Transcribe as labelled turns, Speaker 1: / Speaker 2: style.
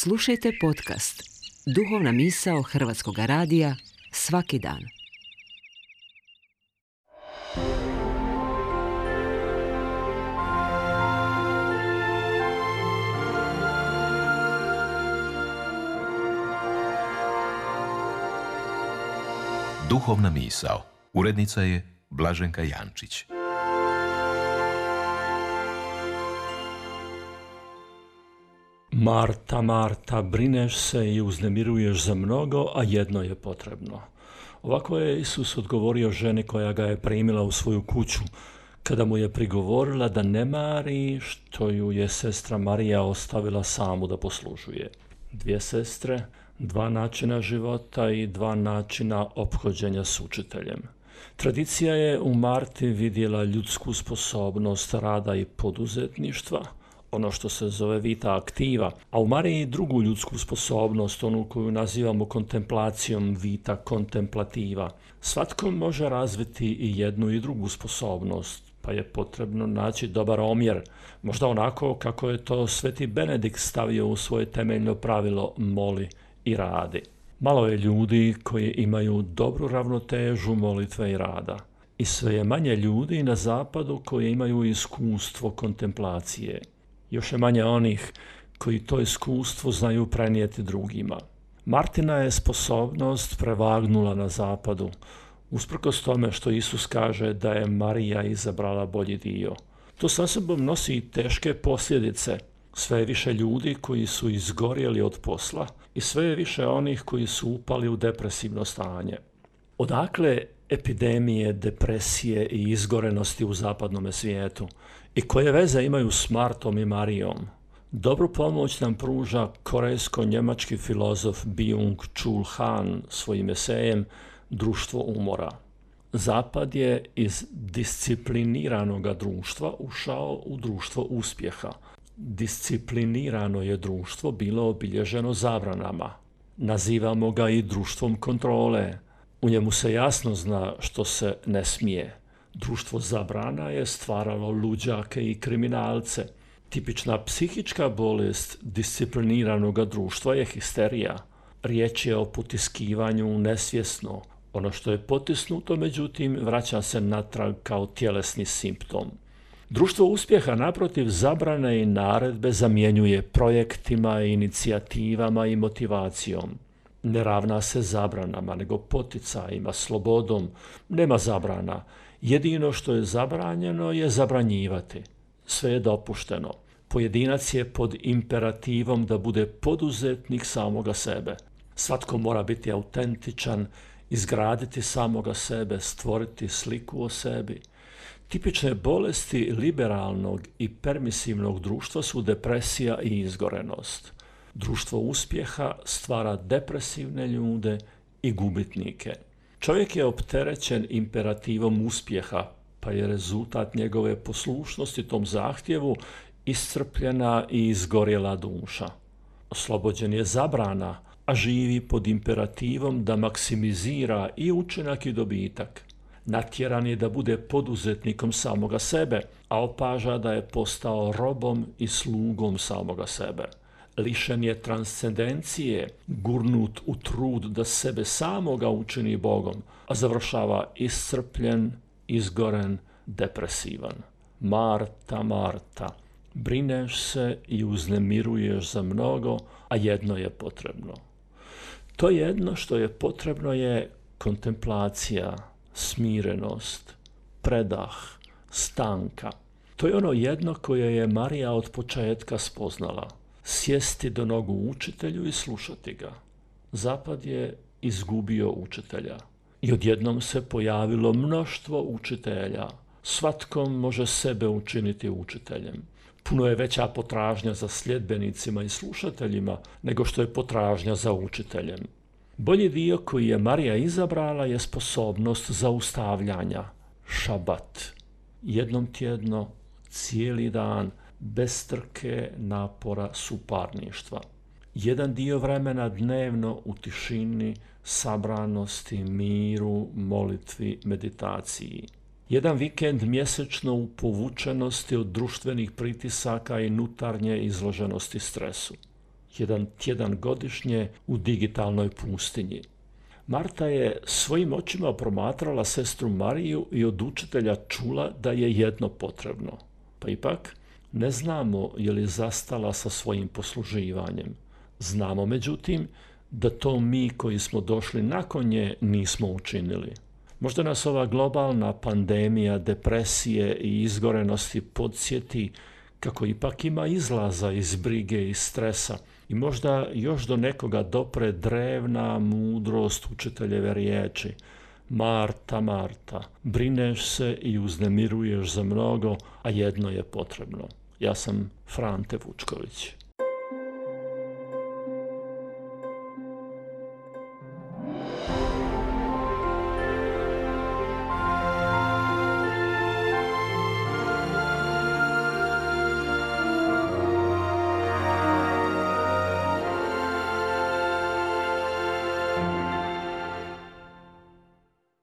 Speaker 1: Slušajte podcast Duhovna misao Hrvatskog radija svaki dan.
Speaker 2: Duhovna misao. Urednica je Blaženka Jančić.
Speaker 3: Marta, Marta, brineš se i uznemiruješ za mnogo, a jedno je potrebno. Ovako je Isus odgovorio ženi koja ga je primila u svoju kuću, kada mu je prigovorila da ne mari što ju je sestra Marija ostavila samu da poslužuje. Dvije sestre, dva načina života i dva načina ophođenja s učiteljem. Tradicija je u Marti vidjela ljudsku sposobnost rada i poduzetništva, ono što se zove vita aktiva, a u Mariji drugu ljudsku sposobnost, onu koju nazivamo kontemplacijom, vita kontemplativa. Svatko može razviti i jednu i drugu sposobnost, pa je potrebno naći dobar omjer, možda onako kako je to Sveti Benedikt stavio u svoje temeljno pravilo moli i radi. Malo je ljudi koji imaju dobru ravnotežu molitve i rada. I sve je manje ljudi na zapadu koji imaju iskustvo kontemplacije. Još je manje onih koji to iskustvo znaju prenijeti drugima. Martina je sposobnost prevagnula na zapadu, usprkos tome što Isus kaže da je Marija izabrala bolji dio. To sa sobom nosi teške posljedice. Sve je više ljudi koji su izgorjeli od posla i sve je više onih koji su upali u depresivno stanje. Odakle epidemije, depresije i izgorenosti u zapadnom svijetu? I koje veze imaju s Martom i Marijom? Dobru pomoć nam pruža korejsko-njemački filozof Byung-Chul Han svojim esejem Društvo umora. Zapad je iz discipliniranoga društva ušao u društvo uspjeha. Disciplinirano je društvo bilo obilježeno zabranama. Nazivamo ga i društvom kontrole. U njemu se jasno zna što se ne smije. Društvo zabrana je stvaralo luđake i kriminalce. Tipična psihička bolest discipliniranog društva je histerija. Riječ je o potiskivanju nesvjesno. Ono što je potisnuto, međutim, vraća se natrag kao tjelesni simptom. Društvo uspjeha, naprotiv, zabrane i naredbe zamjenjuje projektima, inicijativama i motivacijom. Ne ravna se zabranama, nego poticajima, slobodom. Nema zabrana. Jedino što je zabranjeno je zabranjivati. Sve je dopušteno. Pojedinac je pod imperativom da bude poduzetnik samoga sebe. Svatko mora biti autentičan, izgraditi samoga sebe, stvoriti sliku o sebi. Tipične bolesti liberalnog i permisivnog društva su depresija i izgorenost. Društvo uspjeha stvara depresivne ljude i gubitnike. Čovjek je opterećen imperativom uspjeha, pa je rezultat njegove poslušnosti tom zahtjevu iscrpljena i izgorjela duša. Oslobođen je zabrana, a živi pod imperativom da maksimizira i učinak i dobitak. Natjeran je da bude poduzetnikom samoga sebe, a opaža da je postao robom i slugom samoga sebe. Lišen je transcendencije, gurnut u trud da sebe samoga učini Bogom, a završava iscrpljen, izgoren, depresivan. Marta, Marta, brineš se i uznemiruješ za mnogo, a jedno je potrebno. To jedno što je potrebno je kontemplacija, smirenost, predah, stanka. To je ono jedno koje je Marija od početka spoznala. Sjesti do nogu učitelju i slušati ga. Zapad je izgubio učitelja. I odjednom se pojavilo mnoštvo učitelja. Svatko može sebe učiniti učiteljem. Puno je veća potražnja za sljedbenicima i slušateljima nego što je potražnja za učiteljem. Bolji dio koji je Marija izabrala je sposobnost zaustavljanja, šabat. Jednom tjedno, cijeli dan, bez trke, napora, suparništva. Jedan dio vremena dnevno u tišini, sabranosti, miru, molitvi, meditaciji. Jedan vikend mjesečno u povučenosti od društvenih pritisaka i unutarnje izloženosti stresu. jedan tjedan godišnje u digitalnoj pustinji. Marta je svojim očima promatrala sestru Mariju i od učitelja čula da je jedno potrebno. Pa ipak ne znamo je li zastala sa svojim posluživanjem. Znamo međutim da to mi koji smo došli nakon nje nismo učinili. Možda nas ova globalna pandemija depresije i izgorenosti podsjeti kako ipak ima izlaza iz brige i stresa i možda još do nekoga dopre drevna mudrost učiteljeve riječi. Marta, Marta, brineš se i uznemiruješ za mnogo, a jedno je potrebno. Ja sam Frante Vučković.